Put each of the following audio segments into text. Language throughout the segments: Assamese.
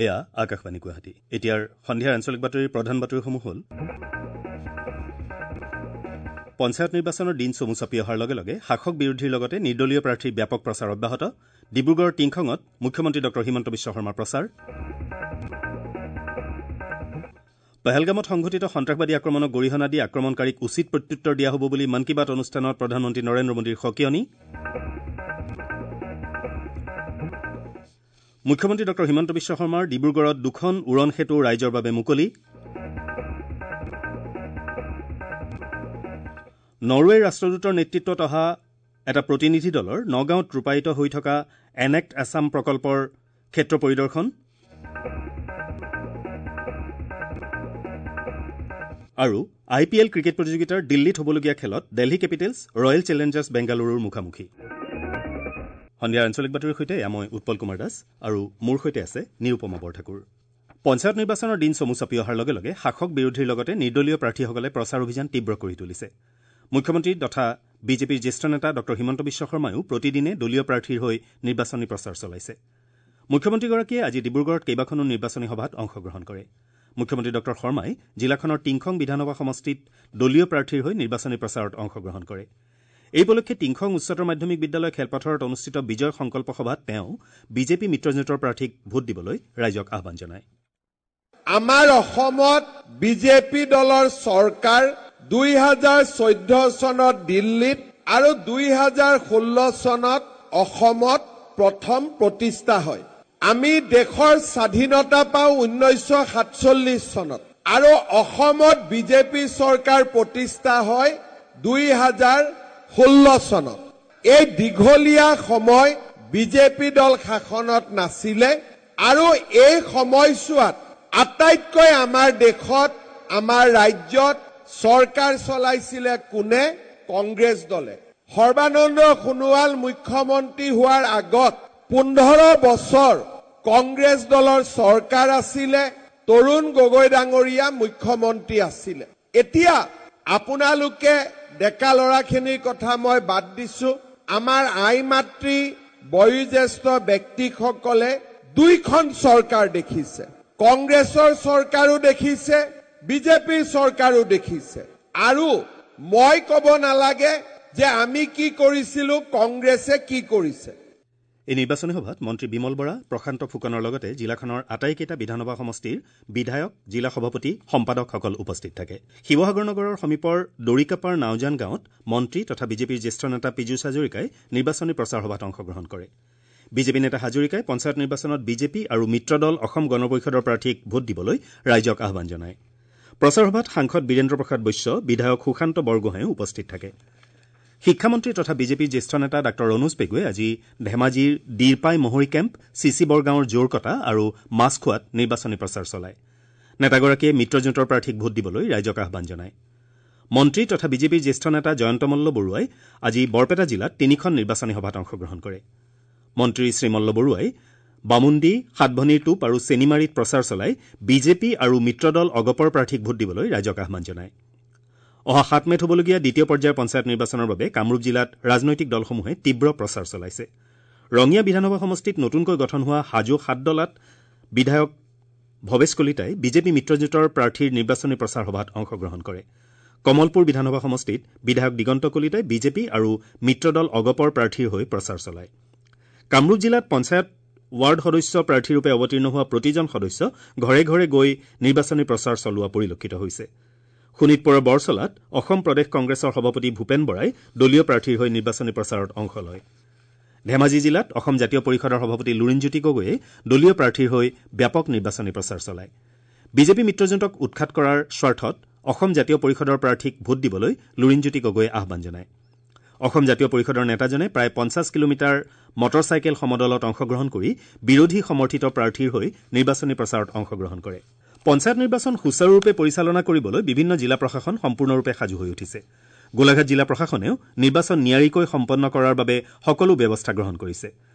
এয়া আকাশবাণী গুৱাহাটী। এতিয়াৰ সন্ধিয়াৰ আঞ্চলিক বাতৰিৰ প্ৰধান বাতৰিসমূহ হ'ল: পঞ্চায়ত নিৰ্বাচনৰ দিন চমু চাপি অহাৰ লগে লগে শাসক বিৰোধীৰ লগতে নিৰ্দলীয় প্ৰাৰ্থীৰ ব্যাপক প্ৰচাৰ অব্যাহত। ডিব্ৰুগড়ৰ টিংখঙত মুখ্যমন্ত্ৰী ডঃ হিমন্ত বিশ্ব শৰ্মাৰ প্ৰচাৰ। পহলগামত সংঘটিত সন্ত্ৰাসবাদী আক্ৰমণক গৰিহণা দি আক্ৰমণকাৰীক উচিত প্ৰত্যুত্তৰ দিয়া হ'ব বুলি মন কী বাত অনুষ্ঠানত প্ৰধানমন্ত্ৰী নৰেন্দ্ৰ মোদীৰ সকিয়নি। মুখ্যমন্ত্ৰী ডঃ হিমন্ত বিশ্ব শৰ্মাৰ ডিব্ৰুগড়ত দুখন উৰণ সেতু ৰাইজৰ বাবে মুকলি। নৰৱেৰ ৰাষ্ট্ৰদূতৰ নেতৃত্বত অহা এটা প্ৰতিনিধি দলৰ নগাঁৱত ৰূপায়িত হৈ থকা এনেক্ট আছাম প্ৰকল্পৰ ক্ষেত্ৰ পৰিদৰ্শন। আৰু আই পি এল ক্ৰিকেট প্ৰতিযোগিতাৰ দিল্লীত হ'বলগীয়া খেলত দিল্লী কেপিটেলছ ৰয়েল চেলেঞ্জাৰ্ছ বেংগালুৰুৰ মুখামুখি। সন্ধিয়াৰ আঞ্চলিক বাতৰিৰ সৈতে এয়া মই উৎপল কুমাৰ দাস আৰু মোৰ সৈতে আছে নিৰুপমা বৰঠাকুৰ। পঞ্চায়ত নিৰ্বাচনৰ দিন চমু চাপি অহাৰ লগে লগে শাসক বিৰোধীৰ লগতে নিৰ্দলীয় প্ৰাৰ্থীসকলে প্ৰচাৰ অভিযান তীব্ৰ কৰি তুলিছে। মুখ্যমন্ত্ৰী তথা বিজেপিৰ জ্যেষ্ঠ নেতা ডঃ হিমন্ত বিশ্ব শৰ্মায়ো প্ৰতিদিনে দলীয় প্ৰাৰ্থীৰ হৈ নিৰ্বাচনী প্ৰচাৰ চলাইছে। মুখ্যমন্ত্ৰীগৰাকীয়ে আজি ডিব্ৰুগড়ত কেইবাখনো নিৰ্বাচনী সভাত অংশগ্ৰহণ কৰে। মুখ্যমন্ত্ৰী ডঃ শৰ্মাই জিলাখনৰ টিংখং বিধানসভা সমষ্টিত দলীয় প্ৰাৰ্থীৰ হৈ নিৰ্বাচনী প্ৰচাৰত অংশগ্ৰহণ কৰে। এই উপলক্ষে টিংখং উচ্চতৰ মাধ্যমিক বিদ্যালয় খেলপথাৰত অনুষ্ঠিত বিজয় সংকল্প সভাত তেওঁ বিজেপি মিত্ৰজোঁটৰ প্ৰাৰ্থীক ভোট দিবলৈ ৰাইজক আহ্বান জনায়। আমাৰ অসমত বিজেপি দলৰ চৰকাৰ 2014 চনত দিল্লীত আৰু 2016 চনত অসমত প্ৰথম প্ৰতিষ্ঠা হয়। আমি দেশৰ স্বাধীনতা পাওঁ 1947 চনত আৰু অসমত বিজেপি চৰকাৰ প্ৰতিষ্ঠা হয় 2016 চনত। এই দীঘলীয়া সময় বিজেপি দল শাসনত নাছিলে আৰু এই সময়ছোৱাত আটাইতকৈ আমাৰ দেশত, আমাৰ ৰাজ্যত চৰকাৰ চলাইছিলে কোনে? কংগ্ৰেছ দলে। সৰ্বানন্দ সোণোৱাল মুখ্যমন্ত্ৰী হোৱাৰ আগত 15 বছৰ কংগ্ৰেছ দলৰ চৰকাৰ আছিলে, তৰুণ গগৈ ডাঙৰীয়া মুখ্যমন্ত্ৰী আছিলে। এতিয়া আপোনালোকে ডেকা ল'ৰাখিনিৰ কথা মই বাদ দিছো, আমাৰ আই মাতৃ বয়োজ্যেষ্ঠ ব্যক্তিসকলে দুইখন চৰকাৰ দেখিছে, কংগ্ৰেছৰ চৰকাৰো দেখিছে, বিজেপিৰ চৰকাৰো দেখিছে। আৰু মই ক'ব নালাগে যে আমি কি কৰিছিলো, কংগ্ৰেছে কি কৰিছে। এই নিৰ্বাচনী সভাত মন্ত্ৰী বিমল বৰা, প্ৰশান্ত ফুকনৰ লগতে জিলাখনৰ আটাইকেইটা বিধানসভা সমষ্টিৰ বিধায়ক, জিলা সভাপতি, সম্পাদকসকল উপস্থিত থাকে। শিৱসাগৰ নগৰৰ সমীপৰ দৰিকাপাৰ নাওজান গাঁৱত মন্ত্ৰী তথা বিজেপিৰ জ্যেষ্ঠ নেতা পীযুষ হাজৰিকাই নিৰ্বাচনী প্ৰচাৰ সভাত অংশগ্ৰহণ কৰে। বিজেপি নেতা হাজৰিকাই পঞ্চায়ত নিৰ্বাচনত বিজেপি আৰু মিত্ৰদল অসম গণ পৰিষদৰ প্ৰাৰ্থীক ভোট দিবলৈ ৰাইজক আহ্বান জনায়। প্ৰচাৰ সভাত সাংসদ বীৰেন্দ্ৰ প্ৰসাদ বৈশ্য, বিধায়ক সুশান্ত বৰগোহাঁইও উপস্থিত থাকে। শিক্ষামন্ত্ৰী তথা বিজেপিৰ জ্যেষ্ঠ নেতা ডাঃ ৰণোজ পেগুৱে আজি ধেমাজিৰ দিৰপাই মহৰি কেম্প, চিচি বৰগাঁৱৰ জোৰকটা আৰু মাছখোৱাত নিৰ্বাচনী প্ৰচাৰ চলায়। নেতাগৰাকীয়ে মিত্ৰজোঁটৰ প্ৰাৰ্থীক ভোট দিবলৈ ৰাইজক আহ্বান জনায়। মন্ত্ৰী তথা বিজেপিৰ জ্যেষ্ঠ নেতা জয়ন্ত মল্ল বৰুৱাই আজি বৰপেটা জিলাত তিনিখন নিৰ্বাচনী সভাত অংশগ্ৰহণ কৰে। মন্ত্ৰী শ্ৰীমল্ল বৰুৱাই বামুন্দী, সাতভনীৰ টোপ আৰু চেনিমাৰীত প্ৰচাৰ চলাই বিজেপি আৰু মিত্ৰদল অগপৰ প্ৰাৰ্থীক ভোট দিবলৈ ৰাইজক আহ্বান জনায়। অহা 7 মে'ত হ'বলগীয়া দ্বিতীয় পৰ্যায়ৰ পঞ্চায়ত নিৰ্বাচনৰ বাবে কামৰূপ জিলাত ৰাজনৈতিক দলসমূহে তীব্ৰ প্ৰচাৰ চলাইছে। ৰঙিয়া বিধানসভা সমষ্টিত নতুনকৈ গঠন হোৱা হাজো সাতদলাত বিধায়ক ভৱেশ কলিতাই বিজেপি মিত্ৰজোঁটৰ প্ৰাৰ্থীৰ নিৰ্বাচনী প্ৰচাৰ সভাত অংশগ্ৰহণ কৰে। কমলপুৰ বিধানসভা সমষ্টিত বিধায়ক দিগন্ত কলিতাই বিজেপি আৰু মিত্ৰদল অগপৰ প্ৰাৰ্থীৰ হৈ প্ৰচাৰ চলায়। কামৰূপ জিলাত পঞ্চায়ত ৱাৰ্ড সদস্য প্ৰাৰ্থীৰূপে অৱতীৰ্ণ হোৱা প্ৰতিজন সদস্য ঘৰে ঘৰে গৈ নিৰ্বাচনী প্ৰচাৰ চলোৱা পৰিলক্ষিত হৈছে। শোণিতপুৰৰ বৰচলাত অসম প্ৰদেশ কংগ্ৰেছৰ সভাপতি ভূপেন বৰাই দলীয় প্ৰাৰ্থীৰ হৈ নিৰ্বাচনী প্ৰচাৰত অংশ লয়। ধেমাজি জিলাত অসম জাতীয় পৰিষদৰ সভাপতি লুৰিণজ্যোতি গগৈয়ে দলীয় প্ৰাৰ্থীৰ হৈ ব্যাপক নিৰ্বাচনী প্ৰচাৰ চলায়। বিজেপি মিত্ৰজোঁটক উৎখাত কৰাৰ স্বাৰ্থত অসম জাতীয় পৰিষদৰ প্ৰাৰ্থীক ভোট দিবলৈ লুৰিণজ্যোতি গগৈয়ে আহ্বান জনায়। অসম জাতীয় পৰিষদৰ নেতাজনে প্ৰায় 50 কিলোমিটাৰ মটৰচাইকেল সমদলত অংশগ্ৰহণ কৰি বিৰোধী সমৰ্থিত প্ৰাৰ্থীৰ হৈ নিৰ্বাচনী প্ৰচাৰত অংশগ্ৰহণ কৰে। পঞ্চায়ত নিৰ্বাচন সুচাৰুৰূপে পৰিচালনা কৰিবলৈ বিভিন্ন জিলা প্ৰশাসন সম্পূৰ্ণৰূপে সাজু হৈ উঠিছে। গোলাঘাট জিলা প্ৰশাসনেও নিৰ্বাচন নিয়াৰিকৈ সম্পন্ন কৰাৰ বাবে সকলো ব্যৱস্থা গ্ৰহণ কৰিছে।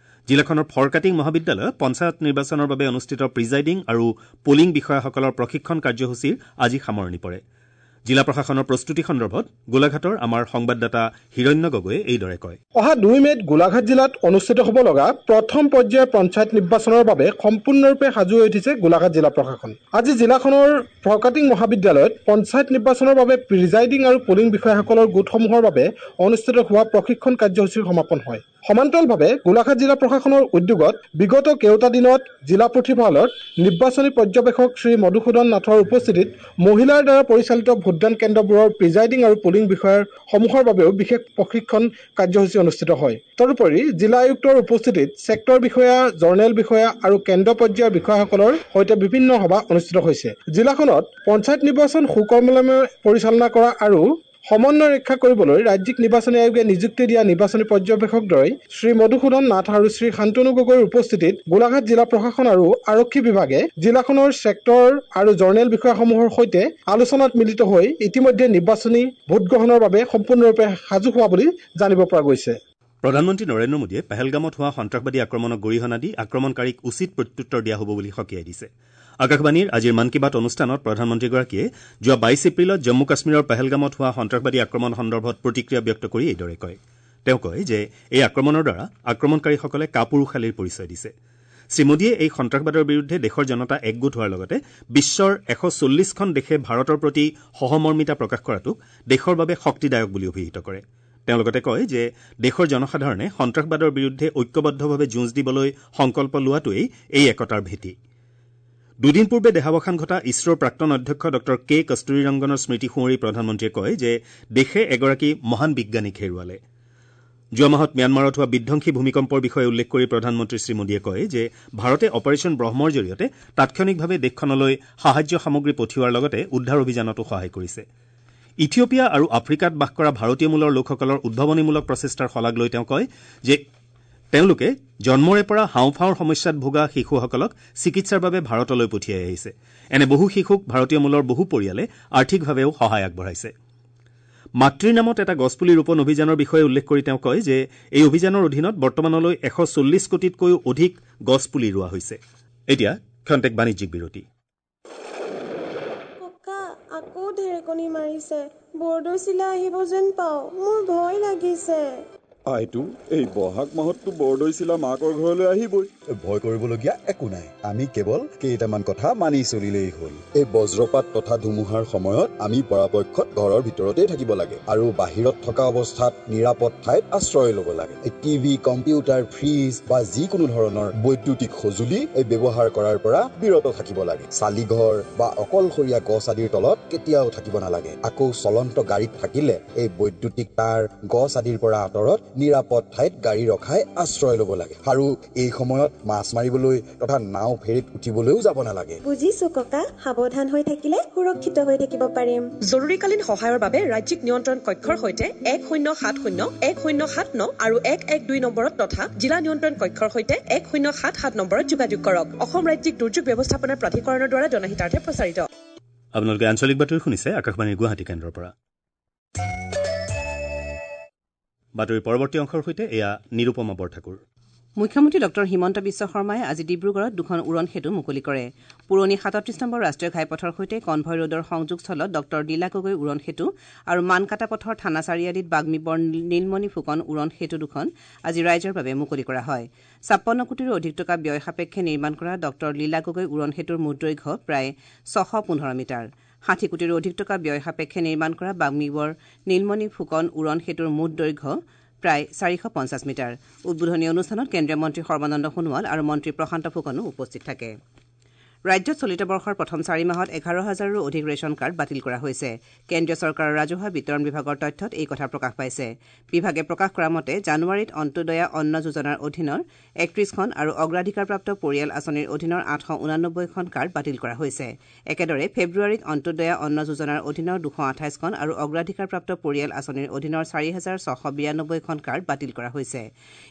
জিলাখনৰ ফৰকাটিং মহাবিদ্যালয়ত পঞ্চায়ত নিৰ্বাচনৰ বাবে অনুষ্ঠিত প্ৰিজাইডিং আৰু পোলিং বিষয়াসকলৰ প্ৰশিক্ষণ কাৰ্যসূচীৰ আজি সামৰণি পৰে। জিলা প্ৰশাসনৰ প্ৰস্তুতি সন্দৰ্ভত গোলাঘাটৰ আমাৰ সংবাদদাতা হিৰণ্য গগৈয়ে এইদৰে কয়। অহা 2 মে'ত গোলাঘাট জিলাত অনুষ্ঠিত হ'ব লগা প্ৰথম পৰ্যায়ৰ পঞ্চায়ত নিৰ্বাচনৰ বাবে সম্পূৰ্ণৰূপে সাজু হৈ উঠিছে গোলাঘাট জিলা প্ৰশাসন। আজি জিলাখনৰ ফৰকাটিং মহাবিদ্যালয়ত পঞ্চায়ত নিৰ্বাচনৰ বাবে প্ৰিজাইডিং আৰু পলিং বিষয়াসকলৰ গোটসমূহৰ বাবে অনুষ্ঠিত হোৱা প্ৰশিক্ষণ কাৰ্যসূচীৰ সমাপন হয়। সমান্তৰালভাৱে গোলাঘাট জিলা প্ৰশাসনৰ উদ্যোগত বিগত কেইটা দিনত জিলা পুথিভঁৰালত নিৰ্বাচনী পৰ্যবেক্ষক শ্ৰী মধুসূদন নাথৰ উপস্থিতিত মহিলাৰ দ্বাৰা পৰিচালিত ভোটদান কেন্দ্ৰবোৰৰ প্ৰিজাইডিং আৰু পলিং বিষয়াৰ সমূহৰ বাবেও বিশেষ প্ৰশিক্ষণ কাৰ্যসূচী অনুষ্ঠিত হয়। তদুপৰি জিলা আয়ুক্তৰ উপস্থিতিত ছেক্টৰ বিষয়া, জৰ্নেল বিষয়া আৰু কেন্দ্ৰ পৰ্যায়ৰ বিষয়াসকলৰ সৈতে বিভিন্ন সভা অনুষ্ঠিত হৈছে। জিলাখনত পঞ্চায়ত নিৰ্বাচন সুকলমে পৰিচালনা কৰা আৰু সমন্বয় ৰক্ষা কৰিবলৈ ৰাজ্যিক নিৰ্বাচনী আয়োগে নিযুক্তি দিয়া নিৰ্বাচনী পৰ্যবেক্ষকদ্বয় শ্ৰী মধুসূদন নাথ আৰু শ্ৰী শান্তনু গগৈৰ উপস্থিতিত গোলাঘাট জিলা প্ৰশাসন আৰু আৰক্ষী বিভাগে জিলাখনৰ ছেক্টৰ আৰু জৰ্নেল বিষয়াসমূহৰ সৈতে আলোচনাত মিলিত হৈ ইতিমধ্যে নিৰ্বাচনী ভোটগ্ৰহণৰ বাবে সম্পূৰ্ণৰূপে সাজু হোৱা বুলি জানিব পৰা গৈছে। প্ৰধানমন্ত্ৰী নৰেন্দ্ৰ মোদীয়ে পেহেলগামত হোৱা সন্ত্ৰাসবাদী আক্ৰমণক গৰিহণা দি আক্ৰমণকাৰীক উচিত প্ৰত্যুত্তৰ দিয়া হ'ব বুলি সকীয়াই দিছে। আকাশবাণীৰ আজিৰ মন কী বাত অনুষ্ঠানত প্ৰধানমন্ত্ৰীগৰাকীয়ে যোৱা 22 এপ্ৰিলত জম্মু কাশ্মীৰৰ পেহেলগামত হোৱা সন্ত্ৰাসবাদী আক্ৰমণ সন্দৰ্ভত প্ৰতিক্ৰিয়া ব্যক্ত কৰি এইদৰে কয়। তেওঁ কয় যে এই আক্ৰমণৰ দ্বাৰা আক্ৰমণকাৰীসকলে কাপুৰুষালিৰ পৰিচয় দিছে। শ্ৰীমোদীয়ে এই সন্ত্ৰাসবাদৰ বিৰুদ্ধে দেশৰ জনতা একগোট হোৱাৰ লগতে বিশ্বৰ 140খন দেশে ভাৰতৰ প্ৰতি সহমৰ্মিতা প্ৰকাশ কৰাটোক দেশৰ বাবে শক্তিদায়ক বুলি অভিহিত কৰে। তেওঁ লগতে কয় যে দেশৰ জনসাধাৰণে সন্ত্ৰাসবাদৰ বিৰুদ্ধে ঐক্যবদ্ধভাৱে যুঁজ দিবলৈ সংকল্প লোৱাটোৱেই এই একতাৰ ভেটি। দুদিন পূৰ্বে দেহাৱসান ঘটা ইছৰোৰ প্ৰাক্তন অধ্যক্ষ ডঃ কে কস্তুৰীৰংগনৰ স্মৃতি সুঁৱৰি প্ৰধানমন্ত্ৰীয়ে কয় যে দেশে এগৰাকী মহান বিজ্ঞানীক হেৰুৱালে। যোৱা মাহত ম্যানমাৰত হোৱা বিধ্বংসী ভূমিকম্পৰ বিষয়ে উল্লেখ কৰি প্ৰধানমন্ত্ৰী শ্ৰী মোদীয়ে কয় যে ভাৰতে অপাৰেচন ব্ৰহ্মৰ জৰিয়তে তাৎক্ষণিকভাৱে দেশখনলৈ সাহায্য সামগ্ৰী পঠিওৱাৰ লগতে উদ্ধাৰ অভিযানতো সহায় কৰিছে। ইথিঅপিয়া আৰু আফ্ৰিকাত বাস কৰা ভাৰতীয় মূলৰ লোকসকলৰ উদ্ভাৱনীমূলক প্ৰচেষ্টাৰ শলাগ লৈ তেওঁ কয় যে তেওঁলোকে জন্মৰে পৰা হাওঁফাওঁৰ সমস্যাত ভোগা শিশুসকলক চিকিৎসাৰ বাবে ভাৰতলৈ পঠিয়াই আহিছে। এনে বহু শিশুক ভাৰতীয় মূলৰ বহু পৰিয়ালে আৰ্থিকভাৱেও সহায় আগবঢ়াইছে। মাতৃৰ নামত এটা গছপুলি ৰোপণ অভিযানৰ বিষয়ে উল্লেখ কৰি তেওঁ কয় যে এই অভিযানৰ অধীনত বৰ্তমানলৈ 140 কোটিতকৈও অধিক গছপুলি ৰোৱা হৈছে। এতিয়া ক্ষন্তেক বাণিজ্যিক বিৰতি। আকৌ ঢেৰেকনি মাৰিছে, বৰদৈচিলা আহিব যেন পাওঁ, মোৰ ভয় লাগিছে। আইতো, এই বহাগ মাহততো বৰদৈচিলা মাকৰ ঘৰলৈ আহিবই। ভয় কৰিবলগীয়া একো নাই, আমি কেৱল কেইটামান কথা মানি চলিলেই হ'ল। এই বজ্ৰপাত তথা ধুমুহাৰ সময়ত আমি পৰাপক্ষত ঘৰৰ ভিতৰতেই থাকিব লাগে আৰু বাহিৰত থকা অৱস্থাত নিৰাপদ ঠাইত আশ্ৰয় ল'ব লাগে। টিভি, কম্পিউটাৰ, ফ্ৰিজ বা যিকোনো ধৰণৰ বৈদ্যুতিক সঁজুলি এই ব্যৱহাৰ কৰাৰ পৰা বিৰত থাকিব লাগে। চালিঘৰ বা অকলশৰীয়া গছ আদিৰ তলত কেতিয়াও থাকিব নালাগে। আকৌ চলন্ত গাড়ীত থাকিলে এই বৈদ্যুতিক তাঁৰ, গছ আদিৰ পৰা আঁতৰত নিৰাপদ ঠাইত গাড়ী ৰখাই আশ্ৰয় ল'ব লাগে। আৰু এই সময়ত মাছ মাৰিবলৈ তথা নাও ফেৰীত উঠিবলৈও যাব নালাগে। বুজিছো ককা, সাৱধান হৈ থাকিলে সুৰক্ষিত হৈ থাকিব পাৰিম। জৰুৰীকালীন সহায়ৰ বাবে ৰাজ্যিক নিয়ন্ত্ৰণ কক্ষৰ সৈতে 1070, 1079 আৰু 112 নম্বৰত তথা জিলা নিয়ন্ত্ৰণ কক্ষৰ সৈতে 1077 নম্বৰত যোগাযোগ কৰক। অসম ৰাজ্যিক দুৰ্যোগ ব্যৱস্থাপনা প্ৰাধিকৰণৰ দ্বাৰা জনহিতাৰ্থে প্ৰচাৰিত। আপোনালোকে আঞ্চলিক বাতৰি শুনিছে আকাশবাণীৰ গুৱাহাটী কেন্দ্ৰৰ পৰা। বাতৰিৰ পৰৱৰ্তী অংশৰ সৈতে এয়া নিৰুপমা বৰঠাকুৰ। মুখ্যমন্ত্ৰী ডঃ হিমন্ত বিশ্ব শৰ্মাই আজি ডিব্ৰুগড়ত দুখন উৰণ সেতু মুকলি কৰে। পুৰণি 37 নম্বৰ ৰাষ্ট্ৰীয় ঘাইপথৰ সৈতে কনভয় ৰোডৰ সংযোগস্থলত ডঃ লীলা গগৈ উৰণ সেতু আৰু মানকাটা পথৰ থানা চাৰিআলিত বাগ্মীবৰ নীলমণি ফুকন উৰণ সেতু দুখন আজি ৰাইজৰ বাবে মুকলি কৰা হয়। 56 কোটিৰো অধিক টকা ব্যয় সাপেক্ষে নিৰ্মাণ কৰা ডঃ লীলা গগৈ উৰণ সেতুৰ মুঠ দৈৰ্ঘ্য প্ৰায় 615 মিটাৰ। 60 কোটিৰো অধিক টকা ব্যয় সাপেক্ষে নিৰ্মাণ কৰা বাগ্মীবৰ নীলমণি ফুকন উৰণ সেতুৰ মুঠ দৈৰ্ঘ্য প্ৰায় 450 মিটাৰ। উদ্বোধনী অনুষ্ঠানত কেন্দ্ৰীয় মন্ত্ৰী সৰ্বানন্দ সোণোৱাল আৰু মন্ত্ৰী প্ৰশান্ত ফুকনো উপস্থিত থাকে। ৰাজ্যত চলিত বৰ্ষৰ প্ৰথম 4 মাহত 11 হাজাৰৰো অধিক ৰেচন কাৰ্ড বাতিল কৰা হৈছে। কেন্দ্ৰীয় চৰকাৰৰ ৰাজহুৱা বিতৰণ বিভাগৰ তথ্যত এই কথা প্ৰকাশ পাইছে। বিভাগে প্ৰকাশ কৰা মতে জানুৱাৰীত অন্ত্যোদয়া অন্ন যোজনাৰ অধীনৰ 31খন আৰু অগ্ৰাধিকাৰপ্ৰাপ্ত পৰিয়াল আঁচনিৰ অধীনৰ 889খন কাৰ্ড বাতিল কৰা হৈছে। একেদৰে ফেব্ৰুৱাৰীত অন্ত্যোদয়া অন্ন যোজনাৰ অধীনৰ 228খন আৰু অগ্ৰাধিকাৰপ্ৰাপ্ত পৰিয়াল আঁচনিৰ অধীনৰ 4692খন কাৰ্ড বাতিল কৰা হৈছে।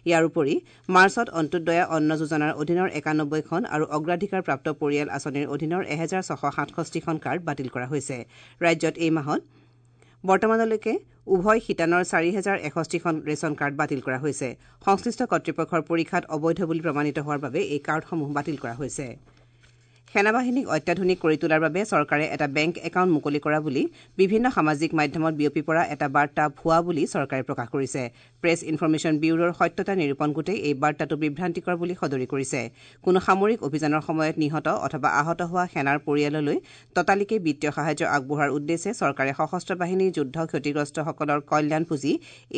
ইয়াৰ উপৰি মাৰ্চত অন্ত্যোদয়া অন্ন যোজনাৰ অধীনৰ 91খন আৰু অগ্ৰাধিকাৰপ্ৰাপ্ত পৰিয়াল আঁচনিৰ অধীনৰ 1667খন কাৰ্ড বাতিল কৰা হৈছে। ৰাজ্যত এই মাহত বৰ্তমানলৈকে উভয় শিতানৰ 4061খন ৰেচন কাৰ্ড বাতিল কৰা হৈছে। সংশ্লিষ্ট কৰ্তৃপক্ষৰ পৰীক্ষাত অবৈধ বুলি প্ৰমাণিত হোৱাৰ বাবে এই কাৰ্ডসমূহ বাতিল কৰা হৈছে। সেনাবাহিনীক অত্যাধুনিক কৰি তোলাৰ বাবে চৰকাৰে এটা বেংক একাউণ্ট মুকলি কৰা বুলি বিভিন্ন সামাজিক মাধ্যমত বিয়পি পৰা এটা বাৰ্তা ভুৱা বুলি চৰকাৰে প্ৰকাশ কৰিছে। প্ৰেছ ইনফৰমেশ্যন ব্যুৰোৰ সত্যতা নিৰূপণ গোটে এই বাৰ্তাটো বিভ্ৰান্তিকৰ বুলি সদৰি কৰিছে। কোনো সামৰিক অভিযানৰ সময়ত নিহত অথবা আহত হোৱা সেনাৰ পৰিয়াললৈ ততালিকে বিত্তীয় সাহায্য আগবঢ়োৱাৰ উদ্দেশ্যে চৰকাৰে সশস্ত্ৰ বাহিনীৰ যুদ্ধ ক্ষতিগ্ৰস্তসকলৰ কল্যাণ পুঁজি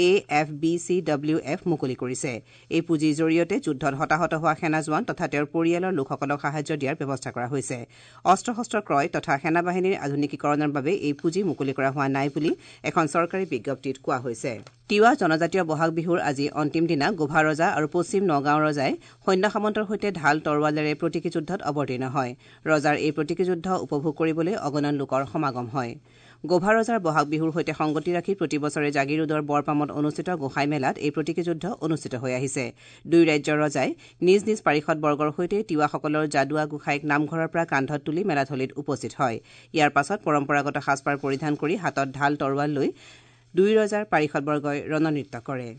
A F B C W F মুকলি কৰিছে। এই পুঁজিৰ জৰিয়তে যুদ্ধত হতাহত হোৱা সেনা জোৱান তথা তেওঁৰ পৰিয়ালৰ লোকসকলক সাহায্য দিয়াৰ ব্যৱস্থা কৰা হৈছে। অস্ত্ৰ শস্ত্ৰ ক্ৰয় তথা সেনাবাহিনীৰ আধুনিকীকৰণৰ বাবে এই পুঁজি মুকলি কৰা হোৱা নাই বুলি এখন চৰকাৰী বিজ্ঞপ্তিত কোৱা হৈছে। তিৱা জনজাতীয় বহাগ বিহুৰ আজি অন্তিম দিনা গোভা ৰজা আৰু পশ্চিম নগাঁও ৰজাই সৈন্য সামন্তৰ সৈতে ঢাল তৰোৱালেৰে প্ৰতীকী যুদ্ধত অৱতীৰ্ণ হয়। ৰজাৰ এই প্ৰতীকী যুদ্ধ উপভোগ কৰিবলৈ অগণন লোকৰ সমাগম হয়। গোভা ৰজাৰ বহাগ বিহুৰ সৈতে সংগতি ৰাখি প্ৰতি বছৰে জাগিৰোডৰ বৰপামত অনুষ্ঠিত গোসাই মেলাত এই প্ৰতীকী যুদ্ধ অনুষ্ঠিত হৈ আহিছে। দুই ৰাজ্যৰ ৰজাই নিজ নিজ পাৰিষদবৰ্গৰ সৈতে তিৱাসকলৰ যাদুৱা গোসাইক নামঘৰৰ পৰা কান্ধত তুলি মেলাথলীত উপস্থিত হয়। ইয়াৰ পাছত পৰম্পৰাগত সাজপাৰ পৰিধান কৰি হাতত ঢাল তৰোৱাল লৈ দুই ৰজাৰ পাৰিষদবৰ্গই ৰণনৃত্য কৰে।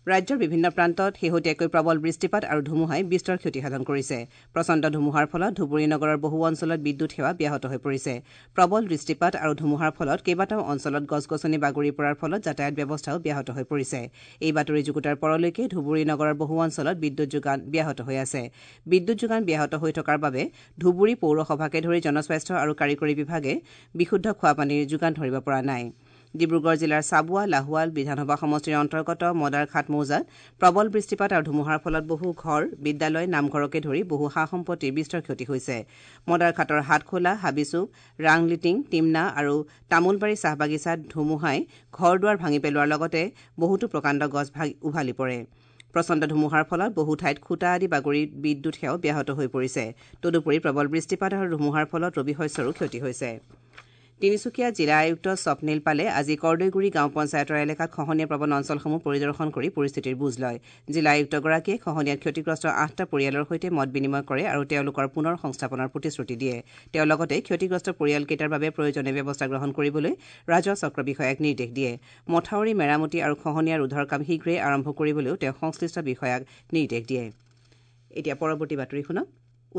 ৰাজ্যৰ বিভিন্ন প্ৰান্তত শেহতীয়াকৈ প্ৰবল বৃষ্টিপাত আৰু ধুমুহাই বিস্তৰ ক্ষতিসাধন কৰিছে। প্ৰচণ্ড ধুমুহাৰ ফলত ধুবুৰী নগৰৰ বহু অঞ্চলত বিদ্যুৎ সেৱা ব্যাহত হৈ পৰিছে। প্ৰবল বৃষ্টিপাত আৰু ধুমুহাৰ ফলত কেইবাটাও অঞ্চলত গছ গছনি বাগৰি পৰাৰ ফলত যাতায়াত ব্যৱস্থাও ব্যাহত হৈ পৰিছে। এই বাতৰি যুগুতাৰ পৰলৈকে ধুবুৰী নগৰৰ বহু অঞ্চলত বিদ্যুৎ যোগান ব্যাহত হৈ আছে। বিদ্যুৎ যোগান ব্যাহত হৈ থকাৰ বাবে ধুবুৰী পৌৰসভাকে ধৰি জনস্বাস্থ্য আৰু কাৰিকৰী বিভাগে বিশুদ্ধ খোৱাপানীৰ যোগান ধৰিব পৰা নাই। ডিব্ৰুগড় জিলাৰ চাবুৱা লাহোৱাল বিধানসভা সমষ্টিৰ অন্তৰ্গত মদাৰখাট মৌজাত প্ৰবল বৃষ্টিপাত আৰু ধুমুহাৰ ফলত বহু ঘৰ, বিদ্যালয়, নামঘৰকে ধৰি বহু সা সম্পত্তিৰ বিস্তৰ ক্ষতি হৈছে। মদাৰখাটৰ হাতখোলা, হাবিচুক, ৰাংলিটিং, টিমনা আৰু তামোলবাৰী চাহ বাগিচাত ধুমুহাই ঘৰ দুৱাৰ ভাঙি পেলোৱাৰ লগতে বহুতো প্ৰকাণ্ড গছ উভালি পৰে। প্ৰচণ্ড ধুমুহাৰ ফলত বহু ঠাইত খুঁটা আদি বাগৰি বিদ্যুৎ সেৱাও ব্যাহত হৈ পৰিছে। তদুপৰি প্ৰবল বৃষ্টিপাত আৰু ধুমুহাৰ ফলত ৰবি শস্যৰো ক্ষতি হৈছে। তিনিচুকীয়া জিলা আয়ুক্ত স্বপ্নীল পালে আজি কৰ্দৈগুৰি গাঁও পঞ্চায়তৰ এলেকাত খহনীয়া প্ৰৱণ অঞ্চলসমূহ পৰিদৰ্শন কৰি পৰিস্থিতিৰ বুজ লয়। জিলা আয়ুক্তগৰাকীয়ে খহনীয়াত ক্ষতিগ্ৰস্ত ৮টা পৰিয়ালৰ সৈতে মত বিনিময় কৰে আৰু তেওঁলোকৰ পুনৰ সংস্থাপনৰ প্ৰতিশ্ৰুতি দিয়ে। তেওঁ লগতে ক্ষতিগ্ৰস্ত পৰিয়ালকেইটাৰ বাবে প্ৰয়োজনীয় ব্যৱস্থা গ্ৰহণ কৰিবলৈ ৰাজহ চক্ৰ বিষয়াক নিৰ্দেশ দিয়ে। মথাউৰি মেৰামতি আৰু খহনীয়া ৰোধৰ কাম শীঘ্ৰেই আৰম্ভ কৰিবলৈও তেওঁ সংশ্লিষ্ট বিষয়াক নিৰ্দেশ দিয়ে। এতিয়া পৰৱৰ্তী বাতৰি শুনক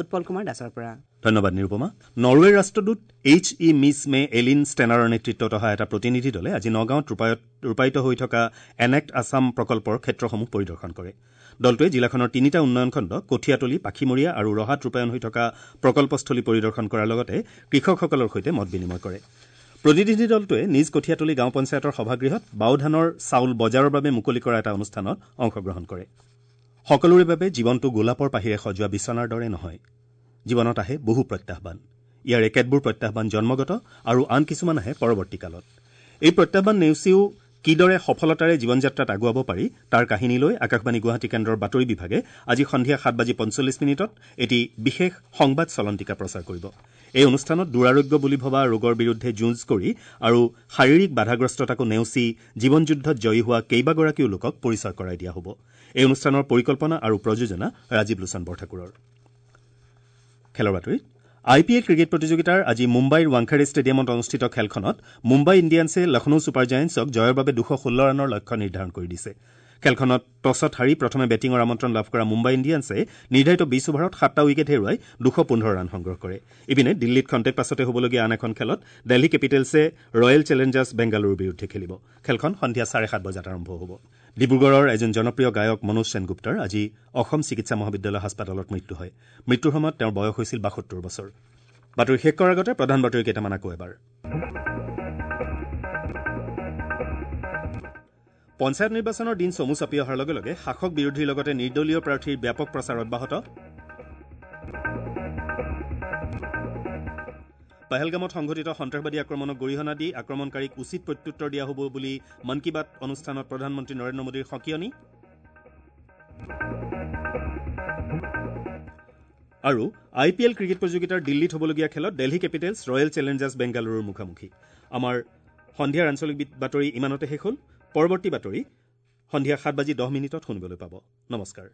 উৎপল কুমাৰ দাসৰ পৰা। ধন্যবাদ নিৰুপমা। নৰৱেৰ ৰাষ্ট্ৰদূত H E Miss May Elin ষ্টেনাৰৰ নেতৃত্বত অহা এটা প্ৰতিনিধি দলে আজি নগাঁৱত ৰূপায়িত হৈ থকা এনেক্ট আছাম প্ৰকল্পৰ ক্ষেত্ৰসমূহ পৰিদৰ্শন কৰে। দলটোৱে জিলাখনৰ তিনিটা উন্নয়ন খণ্ড কঠীয়াতলী, পাখিমৰীয়া আৰু ৰহাত ৰূপায়ণ হৈ থকা প্ৰকল্পস্থলী পৰিদৰ্শন কৰাৰ লগতে কৃষকসকলৰ সৈতে মত বিনিময় কৰে। প্ৰতিনিধি দলটোৱে নিজ কঠীয়াতলী গাঁও পঞ্চায়তৰ সভাগৃহত বাওধানৰ চাউল বজাৰৰ বাবে মুকলি কৰা এটা অনুষ্ঠানত অংশগ্ৰহণ কৰে। সকলোৰে বাবে জীৱনটো গোলাপৰ পাহিৰে সজোৱা বিচনাৰ দৰে নহয়। জীৱনত আহে বহু প্ৰত্যাহ্বান। ইয়াৰে কেতবোৰ প্ৰত্যাহ্বান জন্মগত আৰু আন কিছুমান আহে পৰৱৰ্তী কালত। এই প্ৰত্যাহ্বান নেওচিও কিদৰে সফলতাৰে জীৱনযাত্ৰাত আগুৱাব পাৰি তাৰ কাহিনী লৈ আকাশবাণী গুৱাহাটী কেন্দ্ৰৰ বাতৰি বিভাগে আজি সন্ধিয়া ৭:৪৫ এটি বিশেষ সংবাদ চলন্তিকা প্ৰচাৰ কৰিব। এই অনুষ্ঠানত দুৰাৰোগ্য বুলি ভবা ৰোগৰ বিৰুদ্ধে যুঁজ কৰি আৰু শাৰীৰিক বাধাগ্ৰস্ততাকো নেওচি জীৱন যুদ্ধত জয়ী হোৱা কেইবাগৰাকীও লোকক পৰিচয় কৰাই দিয়া হ'ব। এই অনুষ্ঠানৰ পৰিকল্পনা আৰু প্ৰযোজনা ৰাজীৱ লোচন বৰঠাকুৰৰ। খেলৰ বাতৰিত আই পি এল ক্ৰিকেট প্ৰতিযোগিতাৰ আজি মুম্বাইৰ ৱাংখেড়ে ষ্টেডিয়ামত অনুষ্ঠিত খেলখনত মুম্বাই ইণ্ডিয়ানছে লক্ষ্ণৌ ছুপাৰ জায়েণ্টছক জয়ৰ বাবে ২১৬ ৰানৰ লক্ষ্য নিৰ্ধাৰণ কৰি দিছে। খেলখনত টছত হাৰি প্ৰথমে বেটিঙৰ আমন্ত্ৰণ লাভ কৰা মুম্বাই ইণ্ডিয়ানছে নিৰ্ধাৰিত ২০ অভাৰত ৭টা উইকেট হেৰুৱাই ২১৫ ৰান সংগ্ৰহ কৰে। ইপিনে দিল্লীত খন্তেক পাছতে হ'বলগীয়া আন এখন খেলত দিল্লী কেপিটেলছে ৰয়েল চেলেঞ্জাৰ্ছ বেংগালুৰুৰ বিৰুদ্ধে খেলিব। খেলখন সন্ধিয়া ৭:৩০ বজাত আৰম্ভ হ'ব। ডিব্ৰুগড়ৰ এজন জনপ্ৰিয় গায়ক মনোজ সেনগুপ্তাৰ আজি অসম চিকিৎসা মহাবিদ্যালয় হাস্পতালত মৃত্যু হয়। মৃত্যুৰ সময়ত তেওঁৰ বয়স হৈছিল ৭২ বছৰ। বাতৰি শেষ কৰাৰ আগতে প্ৰধান বাতৰি কেইটামান আকৌ এবাৰ। পঞ্চায়ত নিৰ্বাচনৰ দিন চমু চাপি অহাৰ লগে লগে শাসক বিৰোধীৰ লগতে নিৰ্দলীয় প্ৰাৰ্থীৰ ব্যাপক প্ৰচাৰ অব্যাহত। পহলগামত সংঘটিত সন্ত্ৰাসবাদী আক্ৰমণক গৰিহণা দি আক্ৰমণকাৰীক উচিত প্ৰত্যুত্তৰ দিয়া হ'ব বুলি মন কী বাত অনুষ্ঠানত প্ৰধানমন্ত্ৰী নৰেন্দ্ৰ মোদীৰ সকিয়নি। আৰু আই পি এল ক্ৰিকেট প্ৰতিযোগিতাৰ দিল্লীত হ'বলগীয়া খেলত দিল্লী কেপিটেলছ ৰয়েল চেলেঞ্জাৰ্ছ বেংগালুৰুৰ মুখামুখি। আমাৰ সন্ধিয়াৰ আঞ্চলিক বাতৰি ইমানতে শেষ হ'ল। পৰৱৰ্তী বাতৰি সন্ধিয়া ৭:১০ শুনিবলৈ পাব। নমস্কাৰ।